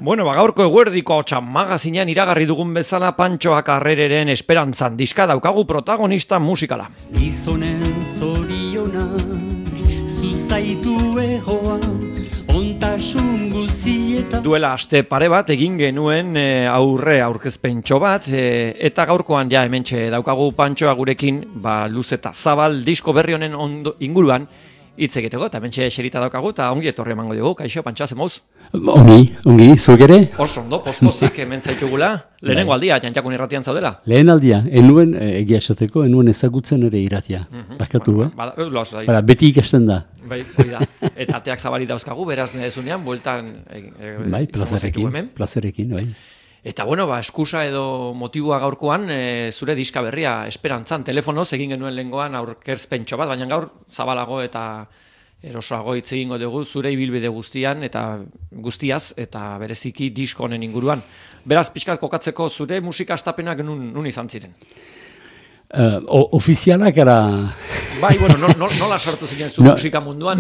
Bueno, gaurko eguerdiko magazinean iragarri dugun bezala Pantxoak Arrereren Esperantzan diska daukagu protagonista musikala. Gizonen zorionak, zuzaitu egoa, ontasun guzietan. Duela aste pare bat egin genuen aurkezpentxo bat, eta gaurkoan ja hementxe daukagu Pantxoa gurekin, luz eta zabal disko berri honen inguruan hitz egiteko, eta hementxe eserita daukagu, eta ongi etorri emango dugu. Kaixo, Pantxoa, zemoz? Ongi, zuek ere? Oso ondo, post-postik hemen zaitugula. Lehenengo aldia, Jantxakun irratian zaudela? Lehen aldia, enuen, egia esateko, enuen ezagutzen ere irratia. Bakatu, beti ikasten da. Bai, hori da. Eta ateak zabali dauzkagu, beraz nezunean, bueltan... Bai, plazerekin, bai. Eta bueno, eskusa edo motiboa gaurkoan, zure diska berria Esperantzan, telefonoz egin genuen lehengoan aurkezpentxo bat, baina gaur zabalago eta erosoago hitz egingo dugu zure ibilbide guztian eta guztiaz eta bereziki disko honen inguruan. Beraz, pixkat kokatzeko zure musika astapenak nun izan ziren? Ofizialak era... Bai, bueno, nola sortu ziren zu musika munduan?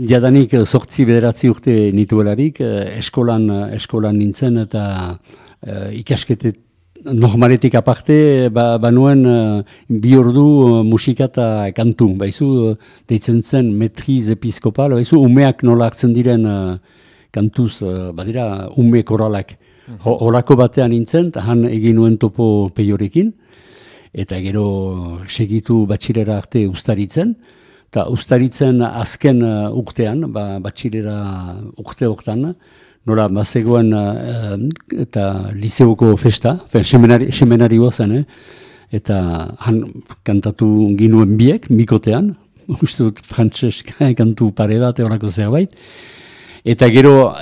Jadanik 8-9 urte nituelarik, eskolan nintzen eta ikasketet normaletik aparte, banuen bi ordu musika eta kantu. Baizu, deitzen zen metriz episkopal, baizu, umeak nola hartzen diren kantuz, badira, ume koralak. Horako batean nintzen, han egin nuen topo peiorekin, eta gero segitu batxilera arte ustaritzen, eta ustaritzen azken urtean, batxilera urte hortan, nola bazegoen eta liseoko festa, semenari zen, eta han kantatu ginuen biek, mikotean, uste dut frantses kantu pare bat, horako zerbait, eta gero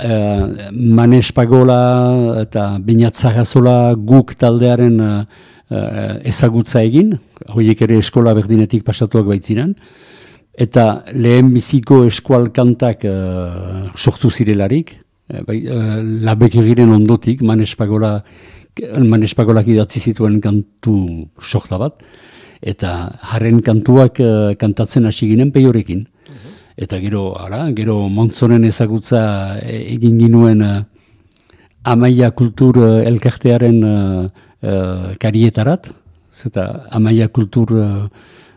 Manes Pagola eta Beñat Zagazola guk taldearen ezagutza egin, horiek ere eskola berdinetik pasatuak baitziren, eta lehen biziko eskual kantak sortu zirelarik, labek egiren ondotik, Manes Pagolak idatzi zituen kantu sorta bat, eta haren kantuak kantatzen hasi ginen peiorekin. Eta gero Montzonen ezagutza egin ginuen Amaia Kultur elkartearen karietarat, eta Amaia Kultur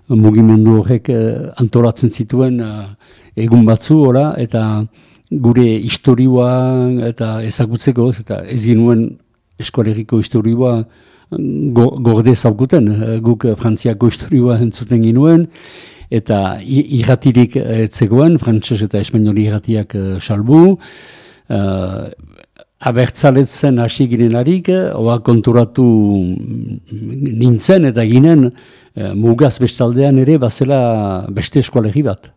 mugimendu horrek antolatzen zituen egun batzu, eta gure historioa eta ezagutzeko, eta ez ginuen eskolegiko historioa gorde zaukuten, guk Frantziako historioa entzuten ginuen, eta irratirik etzegoen, frantses eta espainoli irratiak salbu, abertzaletzen hasi ginelarik, oa konturatu nintzen eta ginen mugaz bestaldean ere bazela beste eskolegi bat.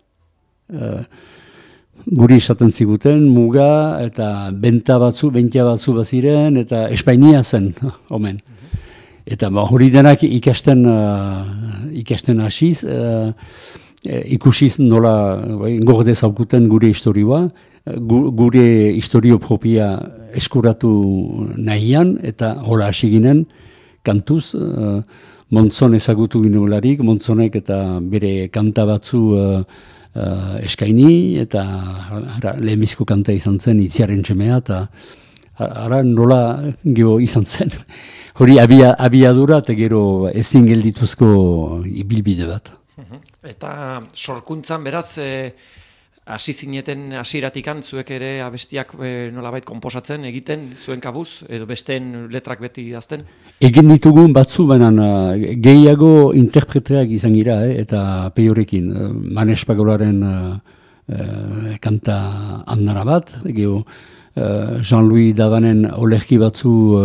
Guri esaten ziguten muga eta bentia batzu baziren eta Espainia zen, omen. Eta hori denak ikasten hasiz, ikusiz nola gorde zaukuten gure historioa, gure historio propia eskuratu nahian, eta hola hasi ginen kantuz, Montzon ezagutu ginularik, Montzonek eta bere kanta batzu eskaini, eta lehenbizko kanta izan zen, Itziaren Txemea, eta nola gero izan zen. Hori abiadura eta gero ezin geldituzko ibilbide bat. Eta sorkuntzan beraz, hasi zineten hasieratikan zuek ere abestiak nolabait konposatzen egiten zuen kabuz, edo besteen letrak beti idazten? Egin ditugun batzu, baina gehiago interpreteak izan gira, eta peiorekin. Manes Pagolaren kanta andara bat, gero Jean-Louis Davanen olerki batzu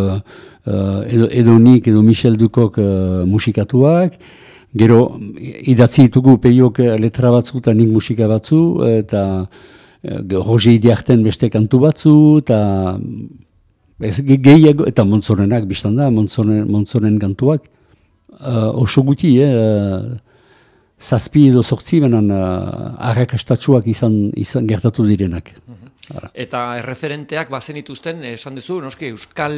edo nik edo Michel Dukok musikatuak, gero idatzi ditugu peiok letra batzu eta nik musika batzu, eta Roger Idiarten beste kantu batzu, eta gehiago, eta Montzonenak biztan da, Montzonen kantuak, oso guti, zazpi edo sortzi, benen arrakastatsuak izan gertatu direnak. Eta erreferenteak bazenituzten, esan duzu, noski, euskal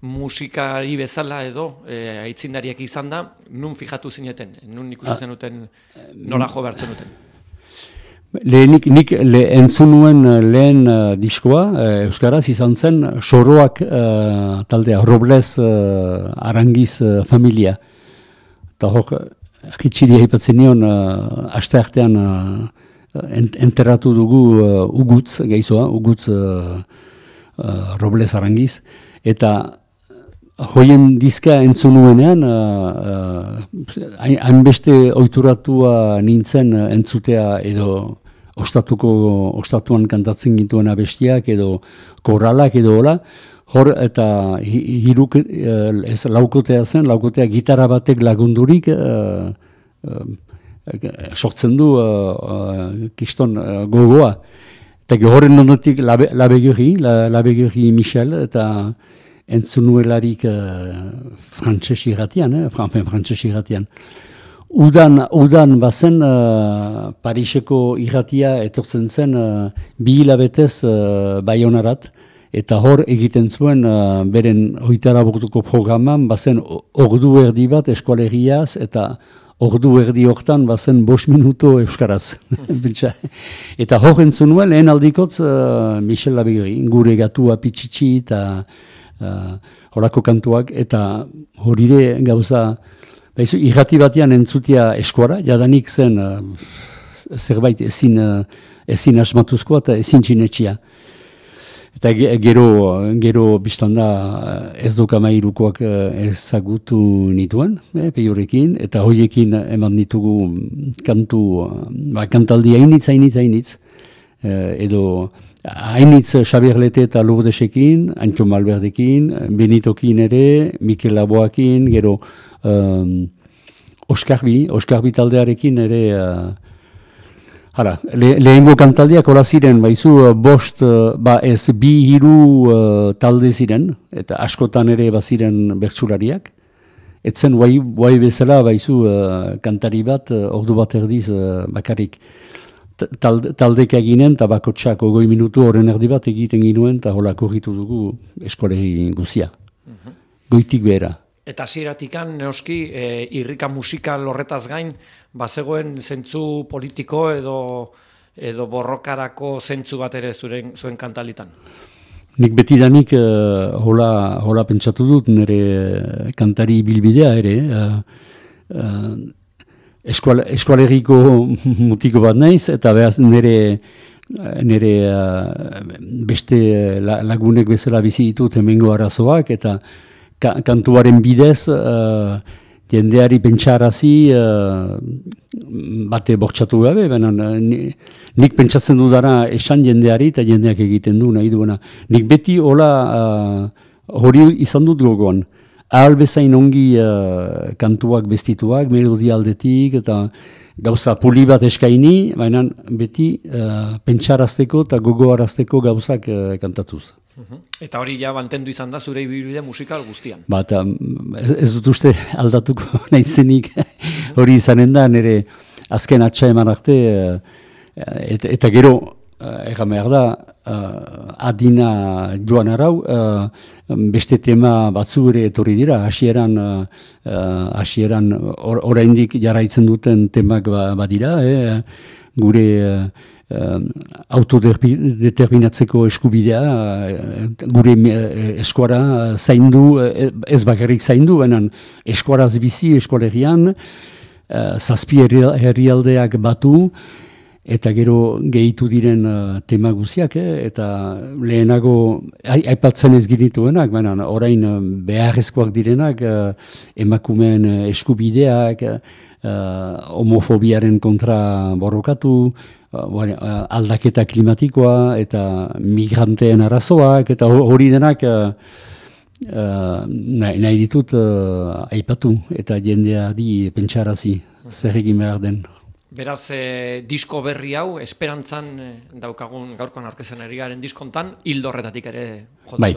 musikari bezala edo aitzindariak izan da, nun fijatu zineten, nun ikusi zenuten nola jo behartzen duten? Nik entzun nuen lehen diskoa, euskaraz izan zen Soroak taldea, Robles Arangiz familia. Eta hor, akitxiri haipatzen nion, asteartean enterratu dugu Ugutz, geizoa, Ugutz Robles Arangiz, eta hoien diska entzun nuenean, hainbeste oituratua nintzen entzutea edo ostatuan kantatzen gintuen abestiak edo korralak edo hola, hor eta laukotea gitarra batek lagundurik sortzen du kiston gogoa. Eta horren ondotik Labeguri Michel eta entzun nuelarik frantses irratian. Udan bazen Pariseko irratia etortzen zen 2 hilabetez Baionarat, eta hor egiten zuen beren 24 programan bazen ordu erdi bat eskualeriaz, eta ordu erdi hortan bazen 5 minuto euskaraz. Eta hor entzun nuen lehen aldikotz Michel Labeguri, gure gatua pitxitxi eta horako kantuak, eta horire gauza irrati batean entzutia eskuara, jadanik zen zerbait ezin asmatuzkoa eta ezin txinetxia. Eta gero biztanda ez dokamairukoak ezagutu nituen, peiorekin, eta hoiekin eman ditugu kantaldi hainitz, edo hainitz Xabier Lete eta Lourdesekin, Antxo Malberdekin, Benitokin ere, Mikel Laboakin, gero Oskarbi taldearekin ere, lehengo kantaldiak hola ziren, baizu 2-3 talde ziren, eta askotan ere baziren bertsulariak. Etzen guai bezala baizu kantari bat, ordu bat erdiz bakarrik taldek eginen, eta bakotxak 20 minutu horren erdi bat egiten ginuen, eta hola korritu dugu eskolegi guzia. Goitik behera. Eta hasieratik neoski irrika musikal horretaz gain, bazegoen zentzu politiko edo borrokarako zentzu bat ere zuen kantalitan? Nik betidanik hola pentsatu dut nire kantari bilbidea ere. Eskualeriko mutiko bat naiz, eta behaz nire beste lagunek bezala bizi ditut hemengo arazoak, eta kantuaren bidez jendeari pentsarazi bate bortxatu gabe, nik pentsatzen dudara esan jendeari eta jendeak egiten du nahi duena. Nik beti hori izan dut gogoan. Ahal bezain ongi kantuak bestituak, melodia aldetik, eta gauza puli bat eskaini, baina beti pentsarazteko eta gogoarazteko gauzak kantatuz. Eta hori ja mantendu izan da zure ibilbide musikal guztian. Ez dut uste aldatuko naizenik hori izanen da, nire azken atxa eman arte, eta gero, egan behar da, adina joan arau, beste tema batzu ere etorri dira, hasieran oraindik jarraitzen duten temak badira, gure autodeterminatzeko eskubidea, gure eskuara zaindu, ez bakarrik zaindu, benen eskuaraz bizi, eskualerian, 7 herrialdeak batu, eta gero gehitu diren tema guziak, eta lehenago aipatzen ez ginituenak, orain beharrezkoak direnak, emakumeen eskubideak, homofobiaren kontra borrokatu, aldaketa klimatikoa, eta migranteen arazoak, eta hori denak nahi ditut aipatu, eta jendeari pentsarazi zer egin behar den. Beraz, disko berri hau, esperantzan daukagun gaurkoan aurkezten ari garen diskontan, hildo horretatik ere joduzu. Bai,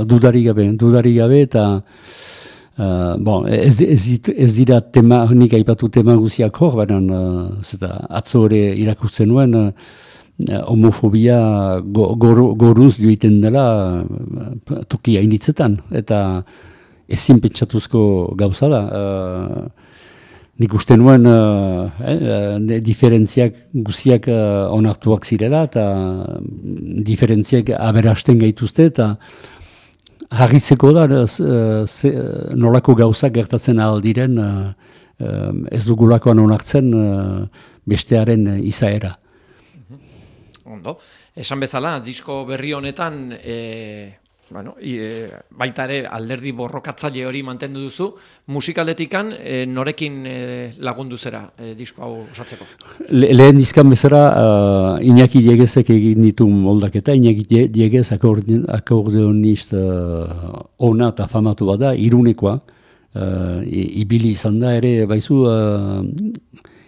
dudarik gabe, eta ez dira nik aipatu tema guziak hor, baina atzo ere irakurtzen nuen, homofobia goruz joiten dela toki hainitzetan, eta ezin pentsatuzko gauza da. nik uste nuen diferentziak guziak onartuak zirela, eta diferentziak aberasten gaituzte, eta harritzeko da nolako gauzak gertatzen aldiren ez dugulakoan onartzen bestearen izaera. Ondo. Esan bezala, disko berri honetan baita ere alderdi borrokatzaile hori mantendu duzu, musikaldetikan norekin lagundu zera disko hau osatzeko? Lehen dizkan bezala Iñaki Diegezek egin ditu moldaketa. Iñaki Diegez akordeonist ona eta famatu bada, Irunekoa, ibili izan da ere, baizu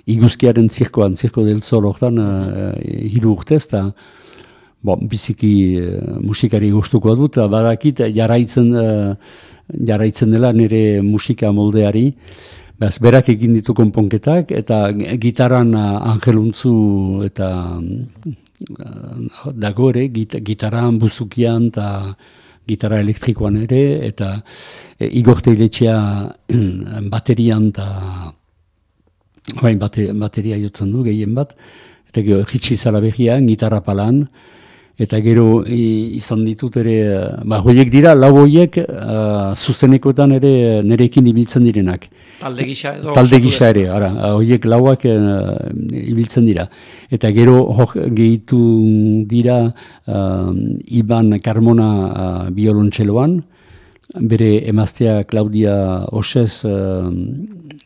iguzkiaren zirkoan, Zirko del Sol hortan 3 urtez, eta biziki musikari gustukoa dut, badakit jarraitzen dela nire musika moldeari. Berak egin ditu konponketak, eta gitaran Angeluntzu eta dago ere, gitaran, buzukian eta gitara elektrikoan ere, eta Igor Teiletxea baterian eta bateria jotzen du gehien bat, eta gero Ritxi Zalaberrian, gitarra palan, eta gero izan ditut ere, horiek dira, lau horiek zuzenekoetan ere nerekin ibiltzen direnak. Talde gisa edo? Talde gisa ere, horiek lauak ibiltzen dira. Eta gero gehitu dira Iban Carmona biolontxeloan, bere emaztea Claudia Osez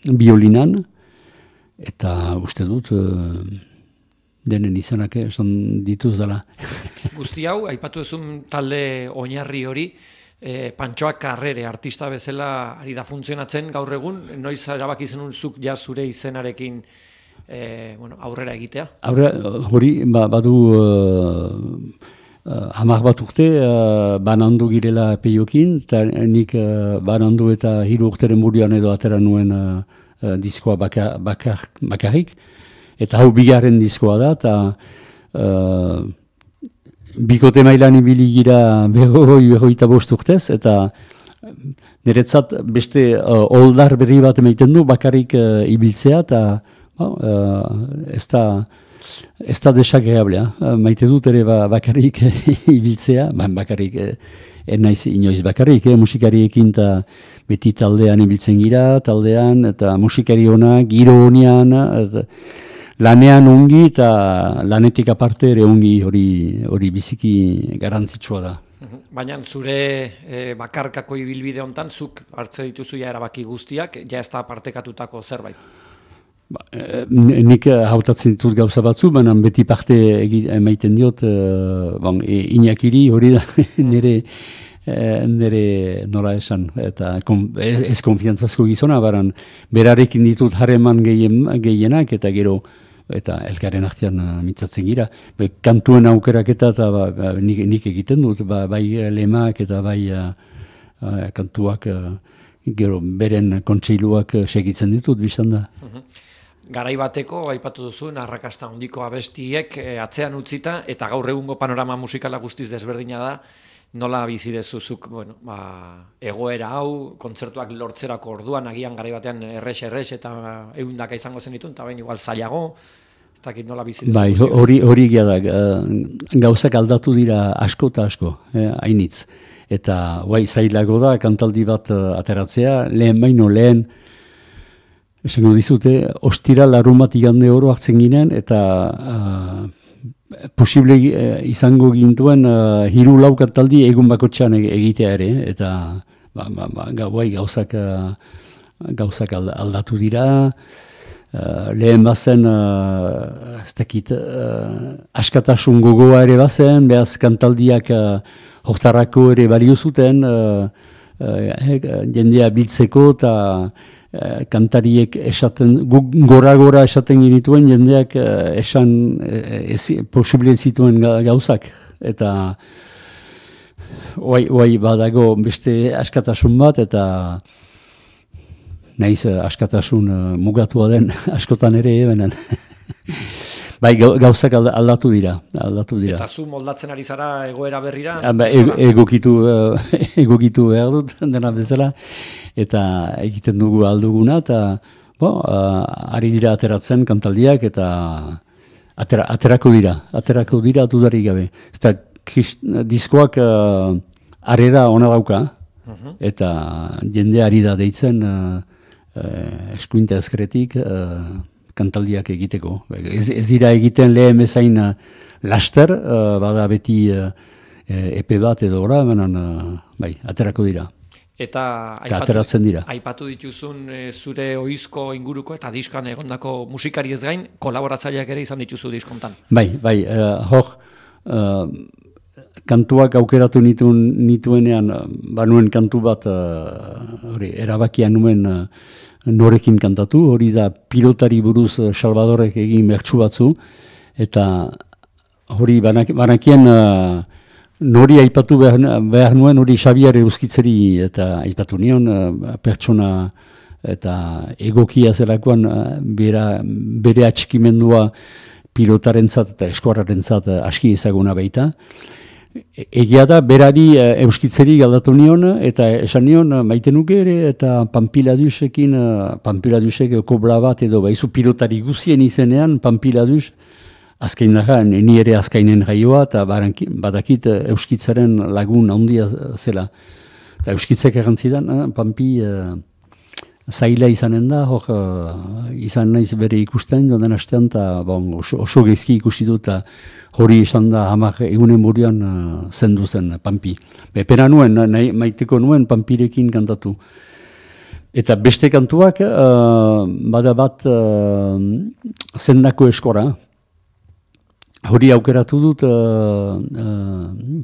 biolinan, eta uste dut denen izanak esan dituz dela. Guzti hau, aipatu ezun talde oinarri hori, Pantxoak Karrere artista bezala ari da funtzionatzen gaur egun, noiz erabaki zenun zuk ja zure izenarekin aurrera egitea? Hori, badu 10 bat urte banandu girela peiokin, eta nik banandu eta 3 urteren buruan edo atera nuen diskoa bakarrik, eta hau bigarren diskoa da, eta bikote mailan ibili gira 25 urtez, eta niretzat beste oldar berri bat emaiten du bakarrik ibiltzea, eta ez da desagreablea. Maite dut ere bakarrik ibiltzea, bakarrik naiz inoiz bakarrik, musikariekin eta beti taldean ibiltzen gira, taldean, eta musikari honak, giro honean, lanean ongi eta lanetik aparte ere ongi, hori biziki garantzitsua da. Baina zure bakarkako ibilbide hontan zuk hartze dituzu ja erabaki guztiak, ja ez da partekatutako zerbait. Nik hautatzen ditut gauza batzu, baina beti parte emaiten diot Iñakiri, hori da nire nola esan, eta ez konfiantzazko gizona, baran berarekin ditut harreman gehienak, eta gero eta elkaren artean mitzatzen gira. Kantuen aukeraketa eta nik egiten dut, bai lemak eta bai kantuak gero beren kontseiluak segitzen ditut, biztan da. Garai bateko, aipatu duzuen, arrakasta handiko abestiek atzean utzita, eta gaur egungo panorama musikala guztiz desberdina da, nola bizi dezuzuk, egoera hau, kontzertuak lortzerako orduan, agian garai batean errex eta ehundaka izango zen ditun, eta bain igual zailago, ez dakit nola bizi dezu. Bai, hori egia da, gauzak aldatu dira asko eta asko, hainitz. Eta zailago da, kantaldi bat ateratzea, lehen, esango dizute, ostira larunbat igande oro hartzen ginen, eta posible izango gintuen 3-4 kantaldi egun bakotxean egitea ere, eta gauzak aldatu dira, lehen bazen, ez dakit, askatasun gogoa ere bazen, behaz kantaldiak hortarako ere balio zuten, jendea biltzeko, eta kantariek esaten, gora esaten genituen jendeak esan posible zituen gauzak. Eta badago beste askatasun bat, eta nahiz askatasun mugatua den askotan ere ebenen. Bai, gauzak aldatu dira. Eta zu moldatzen ari zara egoera berrira? Egokitu behar dut, dena bezala, eta egiten dugu alduguna, eta ari dira ateratzen kantaldiak eta aterako dira dudarik gabe. Eta diskoak arrera ona dauka, eta jende ari da deitzen eskuinta ezkeretik kantaldiak egiteko. Ez dira egiten lehen bezain laster, bada beti epe bat edo ora, bai, aterako dira. Eta ateratzen dira. Aipatu dituzun zure ohizko inguruko eta diskan egondako musikari ez gain, kolaboratzaileak ere izan dituzu diskontan. Bai, kantuak aukeratu nituenean, banuen kantu bat, erabakia nuen norekin kantatu, hori da pilotari buruz Salvadorek egin bertsu batzu, eta hori banakien nori aipatu behar nuen, hori Xabier Euskitzeri eta aipatu nion, pertsona eta egokia zelakoan bere atxikimendua pilotarentzat eta eskuarrarentzat aski ezaguna baita. Egia da, berari Euskitzeri galdatu nion, eta esan nion maite nuke ere, eta Pampiladusek kobla bat edo baizu pilotari guzien izenean, Pampiladus, azkain daga, ni ere azkainen jaioa, eta badakit Euskitzaren lagun handia zela. Eta Euskitzek errantzidan, Pampi zaila izanen da, izan naiz bere ikusten, joan astean, eta oso gezki ikusi dut, eta hori izan da hamak egunen buruan zendu zen Pampi. Pena nuen, maiteko nuen Pampirekin kantatu. Eta beste kantuak, bada bat zendako eskora. Hori aukeratu dut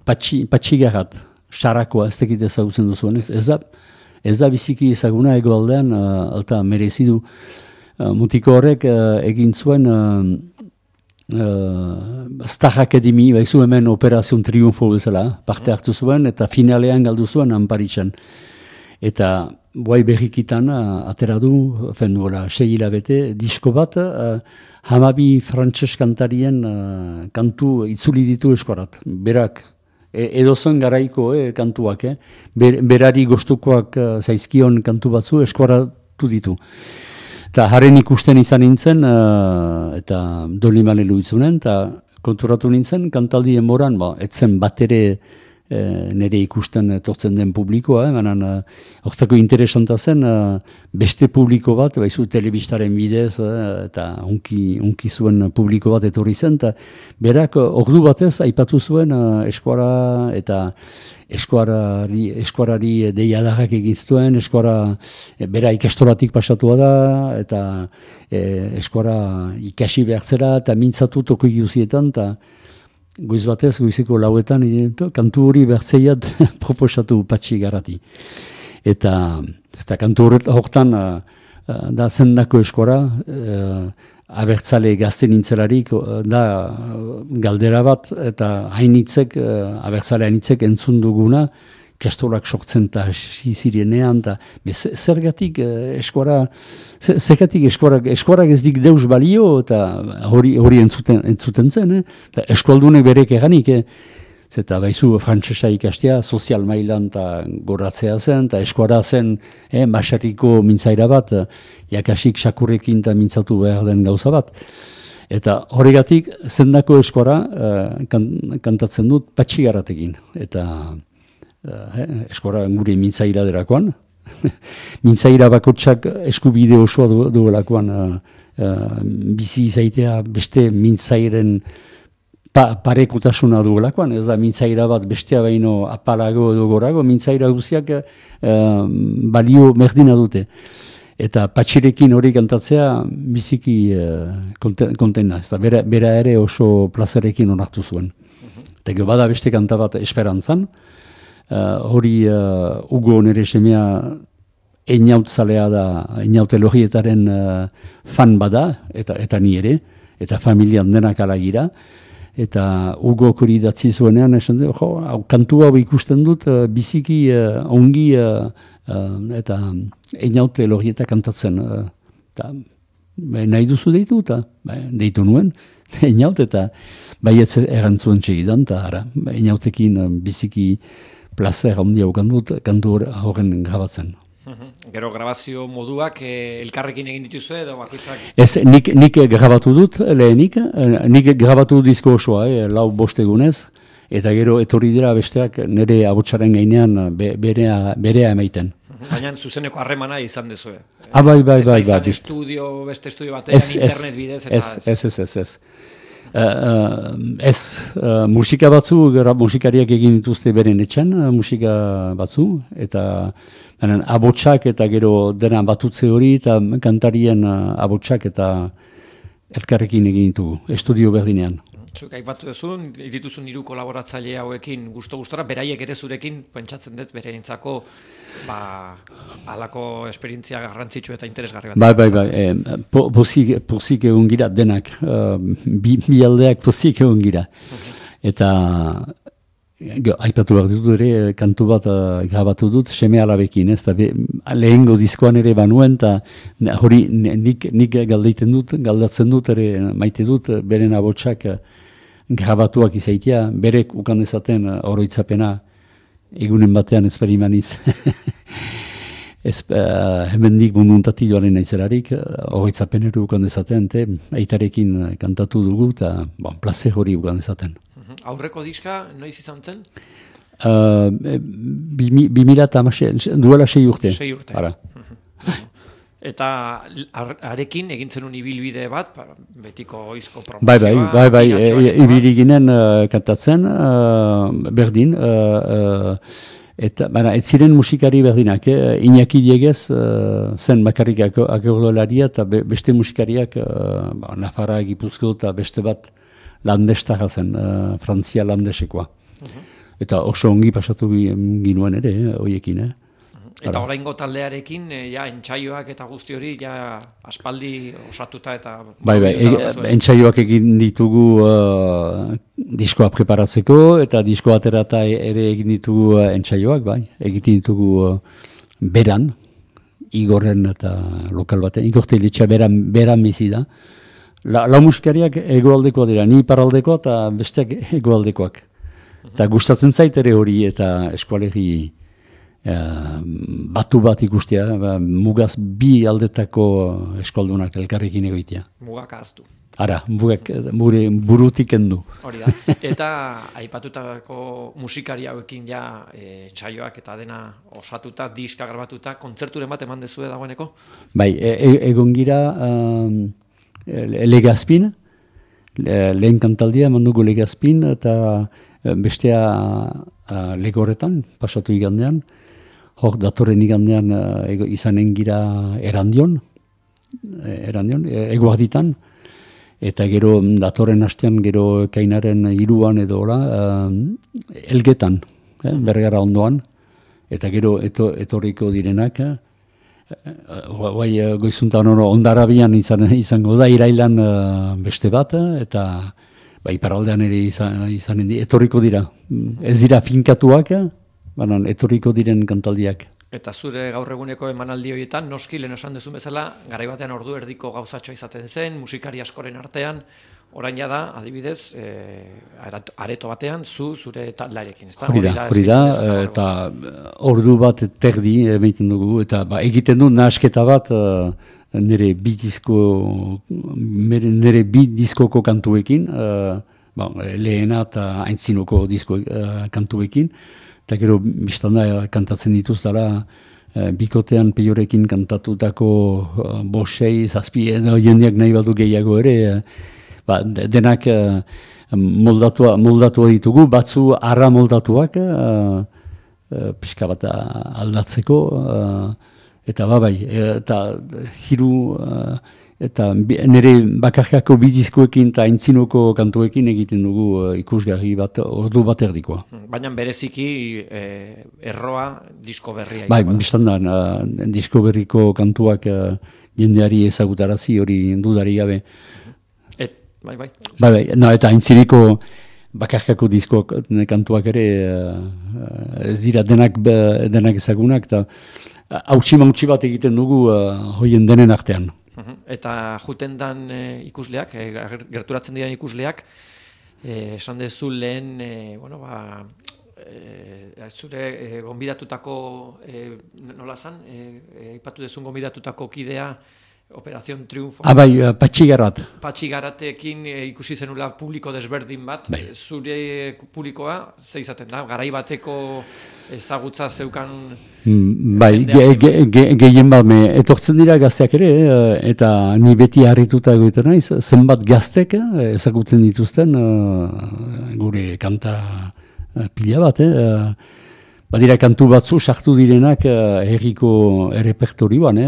patxigarrat, xarakoa, ez tekit ezagutzen duzuen. Ez da biziki ezaguna egoaldean, alta merezidu. Mutiko horrek egin zuen Star Academy, baizu hemen Operazion Triunfo bezala, parte hartu zuen, eta finalean galdu zuen Anparitzen. Eta buai berrikitan atera du, duela 6 hilabete, disko bat, 12 frantses kantarien kantu itzuli ditu eskorat. Berak, edozen garaiko kantuak, berari gostukoak zaizkion kantu batzu eskoratu ditu. Eta haren ikusten izan nintzen, eta Dolimale luitzunen, eta konturatu nintzen, kantaldi enboran, etzen bat ere nire ikusten tortzen den publikoa, hortako interesanta zen, beste publiko bat, baizu telebistaren bidez, eta unki zuen publiko bat etorri zen, eta berak ordu batez aipatu zuen eskuara eta eskuarari deiadarrak egin zuen, eskuara bera ikastoratik pasatua da, eta eskuara ikasi behartzera, eta mintzatu toko guzietan, eta goiz batez, goizeko lauetan, kantu hori behartzeiat proposatu Patxigarrati. Eta kantu horretan da zendako eskora, abertzale gazte nintzelarik, da galdera bat, eta hainitzek, abertzale hainitzek entzun duguna, kastolak sortzen eta zirenean, zergatik eskorak ez dik deus balio, eta hori entzuten zen, eta eskualdunek berek eganik, eta baizu frantsesa ikastea, sozial mailan eta goratzea zen, eta eskora zen, basariko mintzaira bat, jakasik sakurrekin eta mintzatu behar den gauza bat. Eta horregatik, zendako eskora kantatzen dut Patxigarratekin, eta eskora gure mintzaira derakoan. Mintzaira bakotsak eskubide osoa duelakoan bizi izaitea beste mintzairen parekotasuna duelakoan. Ez da mintzaira bat bestea baino apalago edo gorago, mintzaira guztiak balio merdina dute. Eta Patxirekin hori kantatzea biziki kontena. Bera ere oso plazerekin onartu zuen. Eta bada beste kanta bat Esperantzan, hori Hugo nere semea einautzalea da, einautelogietaren fan bada, eta ni ere, eta familian denak alagira, eta Hugo hori datzi zuenean, esan du, kantu hau ikusten dut, biziki ongi eta einautelogieta kantatzen. Nahi duzu deitu, eta deitu nuen, einaut, eta baietz erantzuen txegidan, eta einautekin biziki plazer handia ukan dut kantu horren grabatzen. Gero grabazio moduak elkarrekin egin dituzue edo bakoitzak? Ez, nik grabatu dut lehenik, nik grabatu dut disko osoa, 4-5 egunez, eta gero etorri dira besteak nire abotsaren gainean berea emaiten. Baina zuzeneko harremana izan dezue. Bai. Ez da izan beste estudio batean, internet bidez eta Ez, musika batzu, musikariak egin dituzte beren etxan, musika batzu, eta abotsak eta gero dena batutze hori, eta kantarien abotsak eta elkarrekin egin ditugu, estudio berdinean. Zuk aipatu duzun, dituzun 3 kolaboratzaile hauekin gustora, beraiek ere zurekin pentsatzen dut bereintzako halako esperientzia garrantzitsu eta interesgarri bat. Bai. Pozik egon gira denak, bi aldeak pozik egon gira. Eta aipatu behar dut ere, kantu bat grabatu dut, seme alabekin, ez da lehengo diskoan ere banuen, eta hori nik galdatzen dut ere maite dut, beren abotsak grabatuak izaitia, berek ukan dezaten oroitzapena egunen batean ez berimaniz. Hemen nik munduntati joaren naizelarik, oroitzapen ere ukan dezaten, aitarekin kantatu dugu, eta plazer hori ukan dezaten. Aurreko diska, noiz izan zen? 2016, duela 6 urte. 6 urte. Ara. Eta arekin egin zenun ibilbide bat, betiko oizko promozioa. Bai, ibili ginen kantatzen, berdin, eta ez ziren musikari berdinak, Iñaki Diegez zen bakarrik akordeolaria eta beste musikariak, Nafarra, Gipuzko eta beste bat landestara zen, Frantzia landesekoa. Eta oso ongi pasatu ginuen ere, hoiekin, Eta oraingo taldearekin, entsaioak eta guzti hori, aspaldi osatuta eta... Bai, entsaioak egin ditugu diskoa preparatzeko, eta diskoa aterata ere egin ditugu entsaioak, bai. Egiten ditugu beran, Igorren eta lokal batean, Igorte Litxa beran bizi da. Lau musikariak egoaldekoa dira, ni iparraldekoa eta besteak egoaldekoak. Eta gustatzen zait ere hori eta eskualegi... batu bat ikustea, mugaz bi aldetako eskoldunak elkarrekin egoitea. Mugak ahaztu. Ara, mugak burutik endu. Hori da. Eta aipatutako musikari hauekin entsaioak eta dena osatuta, diska grabatuta, kontzerturen bat eman dezue dagoeneko? Bai, egon gira Legazpin, lehen kantaldia eman dugu Legazpin, eta bestea Legorretan, pasatu igandean. Hor, datorren igandean izanen gira Erandion, Eguarditan, eta gero datorren hastean gero Kainaren 3an edo Elgetan, Bergara ondoan, eta gero etorriko direnak, goizuntan Ondarabian izango da, irailan beste bat, eta iparraldean ere izanen etorriko dira. Ez dira finkatuak, banan, etorriko diren kantaldiak. Eta zure gaur eguneko emanaldi horietan, noski lehen esan duzun bezala, garai batean ordu erdiko gauzatxoa izaten zen, musikari askoren artean, orain da, adibidez, areto batean, zure taldearekin, ezta? Hori da, eta ordu bat terdi egiten dugu, eta egiten du nahasketa bat nire bi diskoko kantuekin, lehena eta aintzinoko kantuekin, eta gero biztanda kantatzen dituztara, bikotean peiorekin kantatutako 5-6, 7 edo jendeak nahi badu gehiago ere, denak moldatu ditugu, batzu arra moldatuak, pixka bat aldatzeko, eta eta hiru, eta nire bakarkako bidizkoekin eta aintzinoko kantuekin egiten dugu ikusgarri bat, ordu bat erdikoa. Baina bereziki erroa disko berria. Bai, biztandan, disko berriko kantuak jendeari ezagutarazi hori dudari gabe. Bai. Eta aintzineko bakarkako disko kantuak ere ez dira denak ezagunak, eta hautsi bat egiten dugu hoien denen artean. Eta juten dan ikusleak, gerturatzen diren ikusleak, esan dezu lehen zure gonbidatutako, nola zan, aipatu dezun gonbidatutako kidea, Operación Triunfo. Bai, Patxigarat. Patxigaratekin ikusi zenula publiko desberdin bat, zure publikoa, ze izaten da, garai bateko ezagutza zeukan... Bai, gehien bat, etortzen dira gazteak ere, eta ni beti harrituta egoiten naiz, zenbat gaztek ezagutzen dituzten gure kanta pila bat, badira kantu batzu sartu direnak herriko errepertorioan,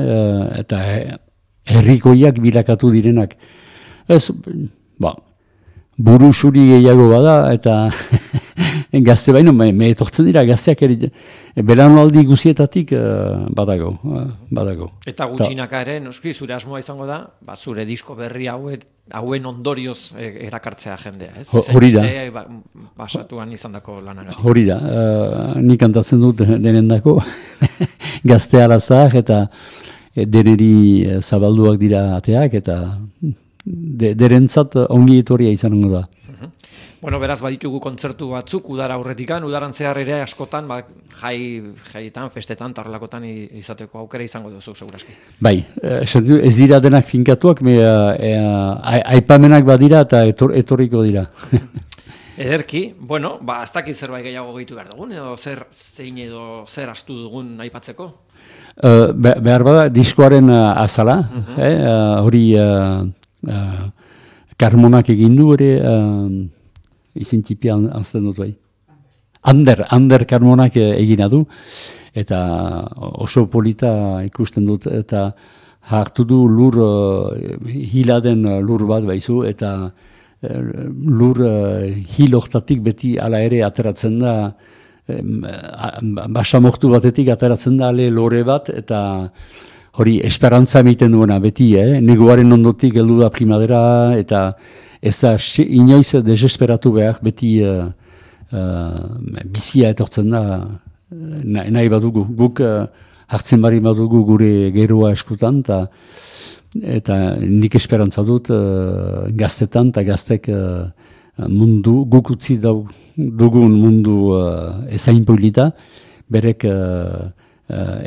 eta herrikoiak bilakatu direnak. Ez, buru xuri gehiago bada, eta gazte baino, me etortzen dira gazteak ere, belanaldi guzietatik badago. Eta gutxinaka ere, noski, zure asmoa izango da, zure disko berri hauen ondorioz erakartzea jendea, ez? Hori da. Basatuan izandako lanagatik. Hori da, nik kantatzen dut denendako, gazte arazak, eta deneri zabalduak dira ateak, eta derentzat ongi etorria izango da. Bueno, beraz, baditugu kontzertu batzuk, udara aurretikan, udaran zehar ere askotan, jaietan, festetan, tarlakotan izateko aukera izango duzu, seguraski. Bai, ez dira denak finkatuak, aipamenak badira eta etorriko dira. Ederki, bueno, ez dakit zerbait gehiago gehitu behar dugun, edo zer astu dugun aipatzeko? Behar bada, diskoaren azala, hori Karmonak egin du ere, izintipia anzten dut bai. Ander Karmonak egina du, eta oso polita ikusten dut, eta hartu du lur, hiladen lur bat baizu, eta lur hiloktatik beti ala ere ateratzen da, basamortu batetik ateratzen da ale lore bat, eta hori esperantza emiten duena beti, neguaren ondotik heldu da primadera, eta ez da inoiz desesperatu behar, beti bizia etortzen da, nahi badugu. Guk hartzen bari badugu gure geroa eskutan, eta nik esperantza dut gaztetan, eta gaztek mundu, guk utzi dugun mundu ezain polita, berek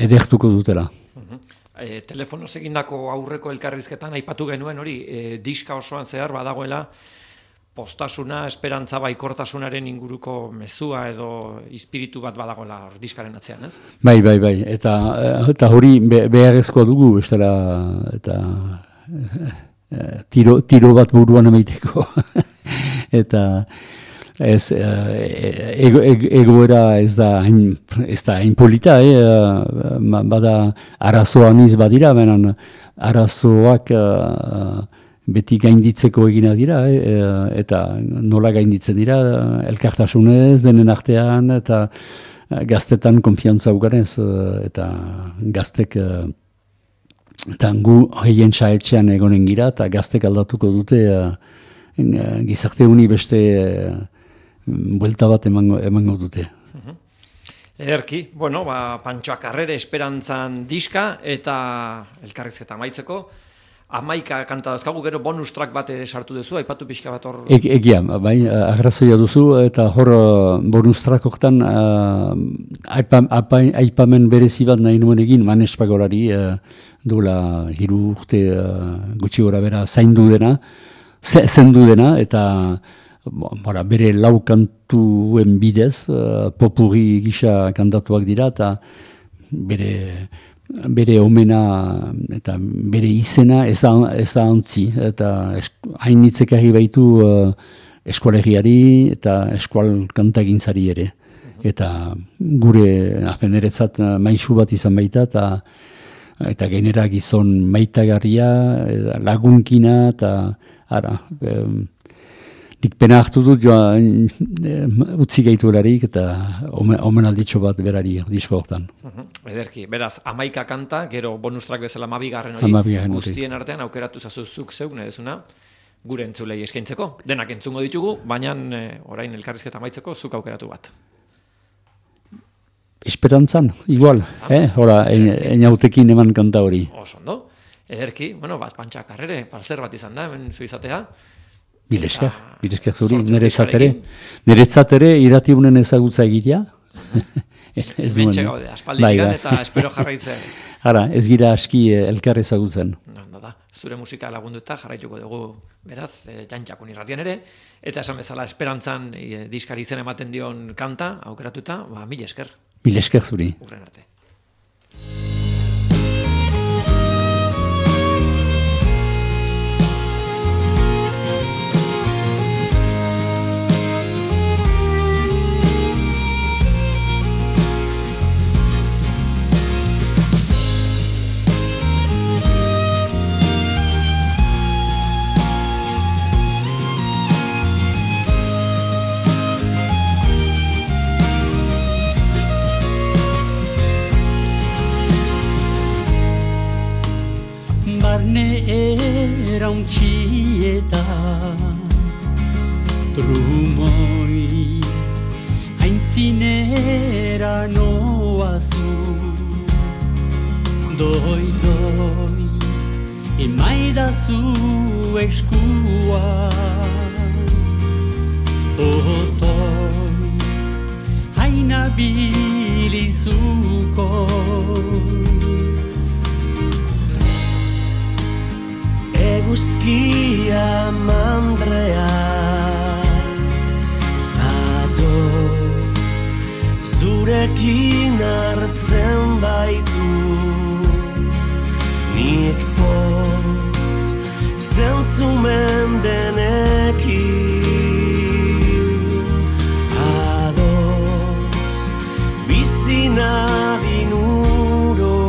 edertuko dutela. Telefonoz egindako aurreko elkarrizketan aipatu genuen hori, diska osoan zehar badagoela postasuna, esperantza baikortasunaren inguruko mezua edo espiritu bat badagoela diskaren atzean, ez? Bai, eta hori beharrezkoa dugu, eta tiro bat buruan emaiteko. Eta ez, egoera ez da hain polita, bada arazoan iz badira, benen arazoak beti gainditzeko egina dira, eta nola gainditzen dira, elkartasunez, denen artean, eta gaztetan konfiantza uganez, eta gaztek, eta gu heien saetxean egonen gira, eta gaztek aldatuko dute gizarte honi beste buelta bat emango dute. Ederki, bueno, Pantxoak Arrere esperantzan diska eta elkarrizketa amaitzeko. 11 kanta dauzkagu, gero bonus track bat ere sartu duzu, aipatu pixka bat hor... Egia, bai, agrazoia duzu, eta hor bonus track hortan aipamen berezi bat nahi nuen egin, Manes Pagolari duela 3 urte gutxi gora bera zendu dena, eta bere 4 kantuen bidez, popurri gisa kantatuak dira, eta bere omena eta bere izena ez da antzi, eta hainitzek ari baitu eskualegiari eta eskual kantagintzari ere. Eta gure neretzat maisu bat izan baita, eta genera gizon maitagarria, lagunkina, eta nik pena hartu dut utzi gaitu eta omenalditxo bat berari disko hortan. Ederki, beraz, 11 kanta, gero bonus track bezala 12 hori, guztien artean aukeratu zazuzuk zeuk, nedezuna, gure entzulei eskaintzeko. Denak entzungo ditugu, baina orain elkarrizketa amaitzeko zuk aukeratu bat. Esperantzan, igual, hora, enautekin eman kanta hori. Oso ondo. Ederki, Pantxoak Arrere, zer bat izan da, hemen zu izatea? Mil esker zuri, sortu niretzat ere iratiunen ezagutza egitea. Hementxe gaude, aspalditik eta espero jarraitzea. Hara, ez gira aski elkar ezagutzen. Da, zure musika lagunduta jarraituko dugu, beraz, jantxakun irratian ere, eta esan bezala esperantzan diskari izen ematen dion kanta, aukeratuta, mil esker. Mil esker zuri. Urren arte. Erauntxieta trumoi aintzinera noazu doi emaidazu eskua otoi haina bilizuko Eguzkia mandrea zatoz zurekin hartzen baitu nik poz zentzumen denekin adoz bizina dinuro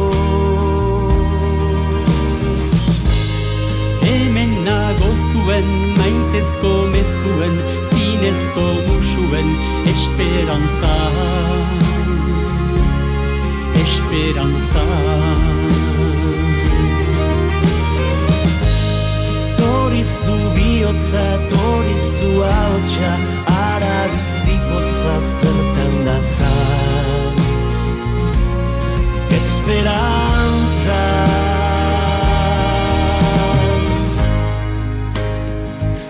zuen, maitezko mezuen, zinezko musuen, esperantza, esperantza. Torizu bihotza, torizu haotxa, arabiziko zazertan datza. Esperantza.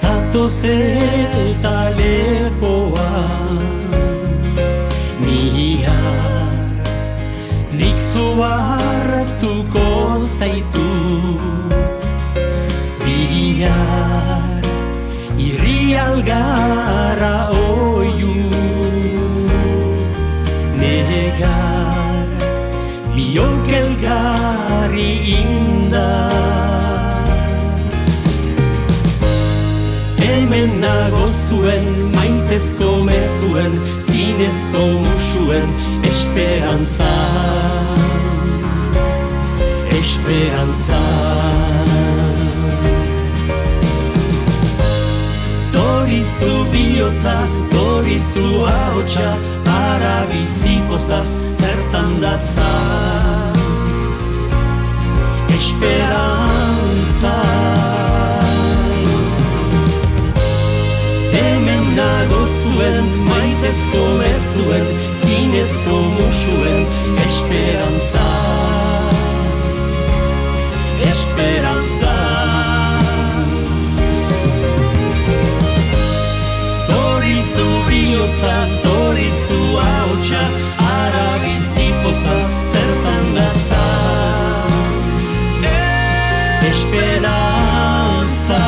Zatoz eta lepoan nihar nik zuartuko zaitut bihar irri algara oiu negar biok elgarri indar hemen nago zuen, maitezko mezuen, zinezko musuen, esperantza, esperantza. Torizu bihotza, torizu ahotsa, arabizikoza, zertan datza, esperantza. Hemen nago zuen, maitezko mezuen, zinezko musuen, esperantza, esperantza. Torizu bihotza, torizu ahotsa, arabizipoza, zertan datza, esperantza.